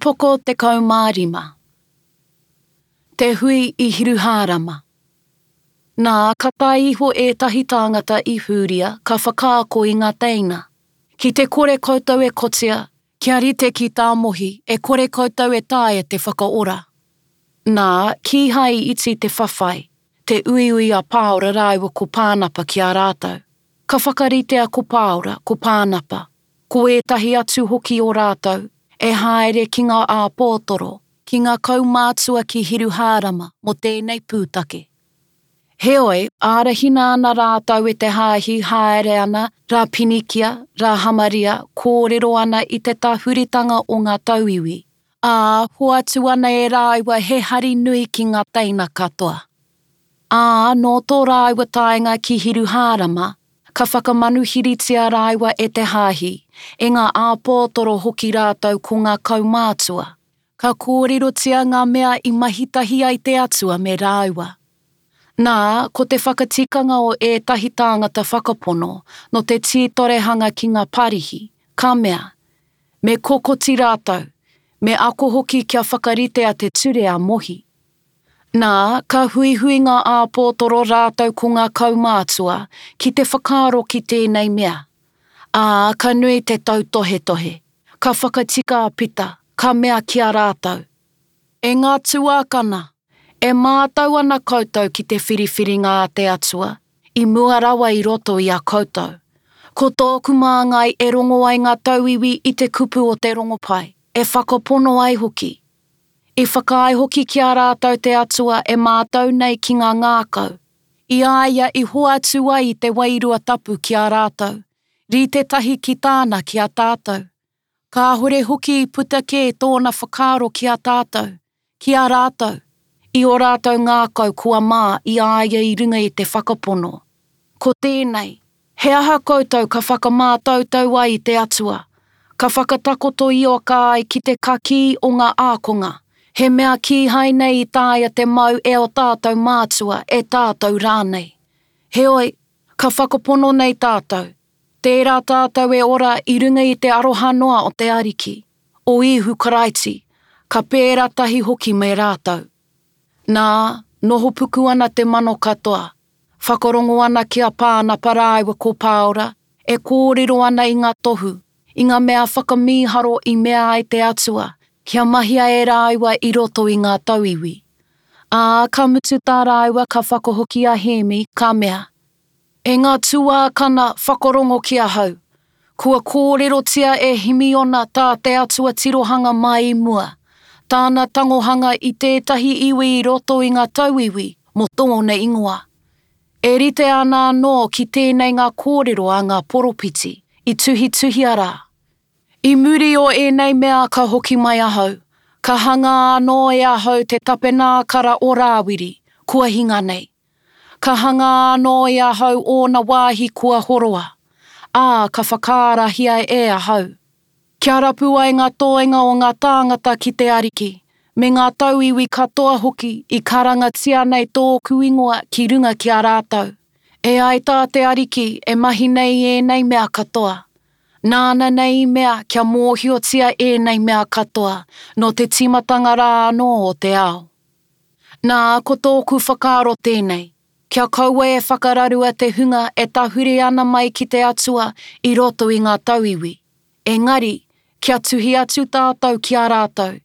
Upoko 15. Te hui i Hiruhārama. Nā, ka tae iho ētahi tāngata i Hūria, ka whakaako i ngā teina, Ki te kore koutou e kotia, kia rite ki tā Mohi, e kore koutou e taea te whakaora. Nā, kīhai i iti te whawhai, te uiui a Pāora rāua ko Pānapa ki a rātou. Ka whakaritea ko Pāora, ko Pānapa, ko ētahi atu hoki o rātou, e haere ki ngā āpōtoro, ki ngā kaumātua ki Hiruhārama mō tēnei pūtake. Heoi, ārahina ana rātou e te hāhi haere ana rā Pinikia, rā Hamaria, kōrero ana i te tahuritanga o ngā tauiwi, ā, hoatu ana e rāua he hari nui ki ngā teina katoa. Ā, nō tō rāua taenga ki Hiruhārama, ka whakamanuhiritia rāua e te hāhi, e ngā āpōtoro hoki rātou ko ngā kaumātua. Ka kōrerotia ngā mea i mahi tahi ai te Atua me rāua. Nā, ko te whakatikanga o ētahi tāngata whakapono nō te tītorehanga ki ngā Parihi, ka mea, Me kokoti rātou, me ako hoki kia whakaritea te ture a Mohi. Nā, ka huihui ngā āpōtoro rātou ko ngā kaumātua ki te whakaaro ki tēnei mea. Ā, ka nui te tautohetohe. Ka whakatika a Pita, ka mea ki a rātou, E ngā tuākana, e mātau ana koutou ki te whiriwhiringa a te Atua, i mua rawa i roto i a koutou. Ko tōku māngai e rongo ai ngā tauiwi i te kupu o te rongopai, e whakapono ai hoki. I whakaae hoki ki a rātou te Atua e mātau nei ki ngā ngākau, i a ia i hoatu ai i te Wairua Tapu ki a rātou, rite tahi ki tāna ki a tātou. Kāhore hoki i puta kē tōna whakaaro ki a tātou, ki a rātou, i ō rātou ngākau kua mā i a ia i runga i te whakapono. Ko tēnei, He aha koutou ka whakamātautau ai i te Atua, ka whakatakoto ioka ai ki te kakī o ngā ākonga, he mea kīhai nei i taea te mau e ō tātou mātua, e tātou rānei? Heoi, ka whakapono nei tātou, tērā tātou e ora i runga i te aroha noa o te Ariki, o Īhu Karaiti, ka pērā tahi hoki me rātou. Nā, nohopuku ana te mano katoa, Whakarongo ana ki a Pānapa rāua ko Pāora, e kōrero ana i ngā tohu, i ngā mea whakamīharo i mea ai te Atua kia mahia e rāua i roto i ngā tauiwi. Ā, ka mutu tā rāua ka whakahoki a Hēmi, ka mea, E ngā tuākana, whakarongo ki ahau. Kua kōrerotia e Himiona tā te Atua tirohanga mai i mua, tāna tangohanga i tētahi iwi i roto i ngā tauiwi mō tōna ingoa. E rite ana anō ki tēnei ngā kōrero a ngā poropiti i tuhituhia rā. I muri o ēnei mea ka hoki mai ahau, ka hangā anō e ahau te tapenākara o Rāwiri, kua hinga nei. Ka hangā anō e ahau ōna wāhi kua horoa, ā, ka whakaarahia e ahau. Kia rapu ai ngā toenga o ngā tāngata ki te Ariki, me ngā tauiwi katoa hoki i karangatia nei tōku ingoa ki runga ki a rātou. E ai tā te Ariki e mahi nei ēnei mea katoa. Nāna nei i mea kia mōhiotia ēnei mea katoa nō te tīmatanga rā anō o te ao. Nā, ko tōku whakaaro tēnei, kia kaua e whakararua te hunga e tahuri ana mai ki te Atua i roto i ngā tauiwi, engari, kia tuhi atu tātou ki a rātou,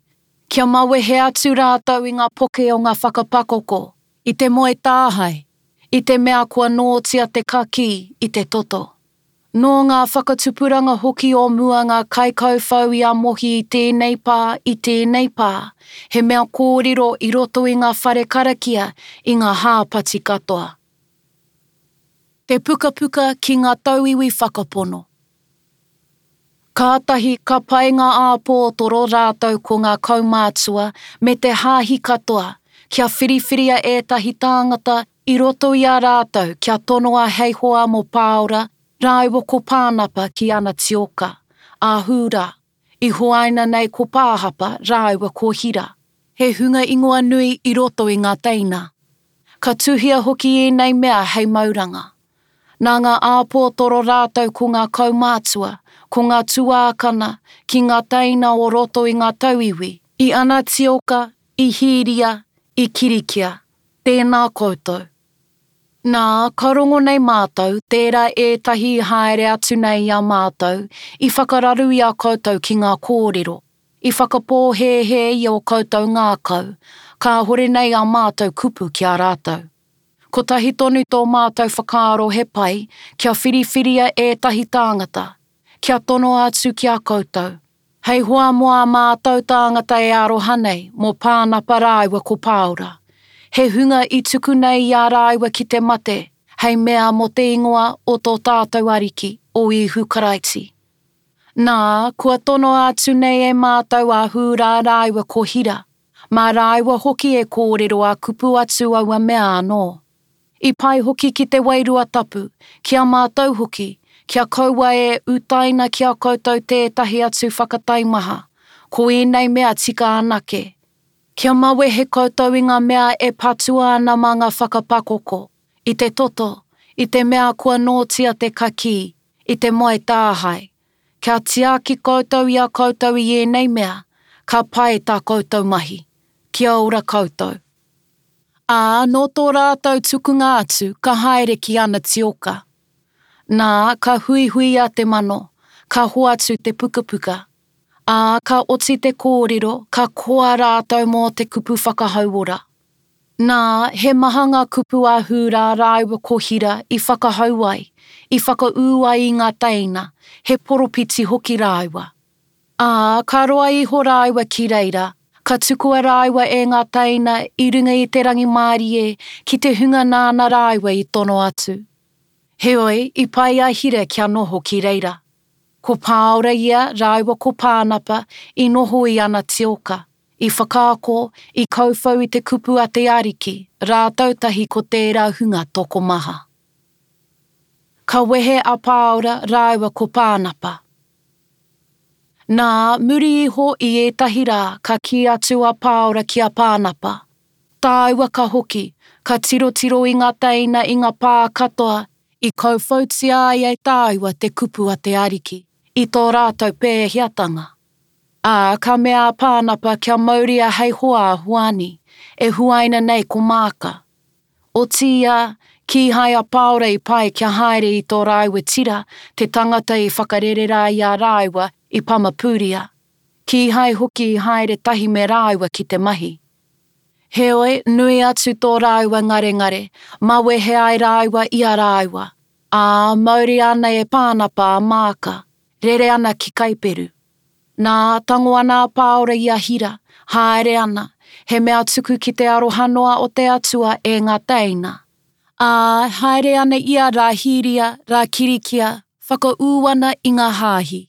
kia mawehe atu rātou i ngā poke o ngā whakapakoko, i te moe tāhae, i te mea kua nōtia te kakī i te toto. Nō ngā whakatupuranga hoki o mua ngā kaikauwhau i a Mohi i tēnei pā, i tēnei pā, he mea kōrero i roto i ngā whare karakia i ngā hāpati katoa. Te pukapuka ki ngā tauiwi whakapono. Kātahi ka pai ngā āpōtoro rātou ko ngā kaumātua me te hāhi katoa kia whiriwhiria ētahi tāngata i roto i a rātou kia tonoa hei hoa mō Pāora rāua ko Pānapa ki Anatioka, a Hūrā, i huaina nei ko Pāhapa rāua ko Hira, he hunga ingoa nui i roto i ngā teina. Ka tuhia hoki ēnei mea hei mauranga. Nā ngā āpōtoro rātou ko ngā kaumātua, ko ngā tuākana, ki ngā teina o roto i ngā tauiwi, i Anatioka, i Hīria, i Kirikia, tēnā koutou. Nā, ka rongo nei mātou, tērā ētahi i haere atu nei i a mātou, i whakararu i a koutou ki ngā kōrero, i whakapōhēhē i ō koutou ngākau, kāhore nei ā mātou kupu ki a rātou. Kotahi tonu tō mātou whakaaro he pai kia whiriwhiria ētahi tāngata, kia tonoa atu ki a koutou, hei hoa mō ā mātou tāngata e aroha nei mō Pānapa rāua ko Pāora, he hunga i tuku nei i a rāua ki te mate hei mea mō te ingoa o tō tātou Ariki, o Īhu Karaiti. Nā, kua tonoa atu nei e mātou a Hūrā rāua ko Hira, Mā rāua hoki e kōrero ā-kupu atu aua mea anō. I pai hoki ki te Wairua Tapu, ki a mātou hoki, kia kaua e utaina ki a koutou tētahi atu whakataimaha, ko ēnei mea tika anake. Kia mawehe koutou i ngā mea e patua ana mā ngā whakapakoko, i te toto, i te mea kua nōtia te kakī, i te moe tāhae, Kia tiaki koutou i a koutou i ēnei mea, ka pai tā koutou mahi. Kia ora koutou. Ā, nō tō rātou tukunga atu, ka haere ki Anatioka. Nā, ka huihuia te mano, ka hoatu te pukapuka. Ā, ka oti te kōrero, ka koa rātou mō te kupu whakahauora. Nā, he maha ngā kupu a Hūrā rāua ko Hira i whakahau ai, i whakaū ai i ngā teina, he poropiti hoki rāua. Ā, ka roa iho rāua ki reira, ka tukua rāua e ngā teina i runga i te rangimārie ki te hunga nāna rāua i tono atu. Heoi, i pai a Hira kia noho ki reira. Ko Pāora ia rāua ko Pānapa i noho i Anatioka. I whakaako, i kauwhau i te kupu a te Ariki, rātou tahi ko tērā hunga tokomaha. Ka wehe a Pāora rāua ko Pānapa. Nā, muri iho i ētahi rā ka kī atu a Pāora ki a Pānapa, Tāua ka hoki, ka tirotiro i ngā teina i ngā pā katoa i kauwhautia ai e tāua te kupu a te Ariki, i tō rātou pēheatanga. Ā, ka mea a Pānapa kia mauria hei hoa a Hoani, e huaina nei ko Māka. Otiia, kīhai a Pāora i pai kia haere i tō rāua tira, te tangata i whakarere rā i a rāua i Pamapūria. Kīhai hoki i haere tahi me rāua ki te mahi. Heoi, nui atu tō rāua ngarengare, mawehe ai rāua i a rāua. Ā, mauria ana e Pānapa a Māka, rere ana ki Kaiperu. Nā, tango ana a Pāora i a Hira, haere ana, he mea tuku ki te aroha noa o te Atua e ngā teina. Ā, haere ana ia rā Hīria, rā Kirikia, whakaū ana i ngā hāhi.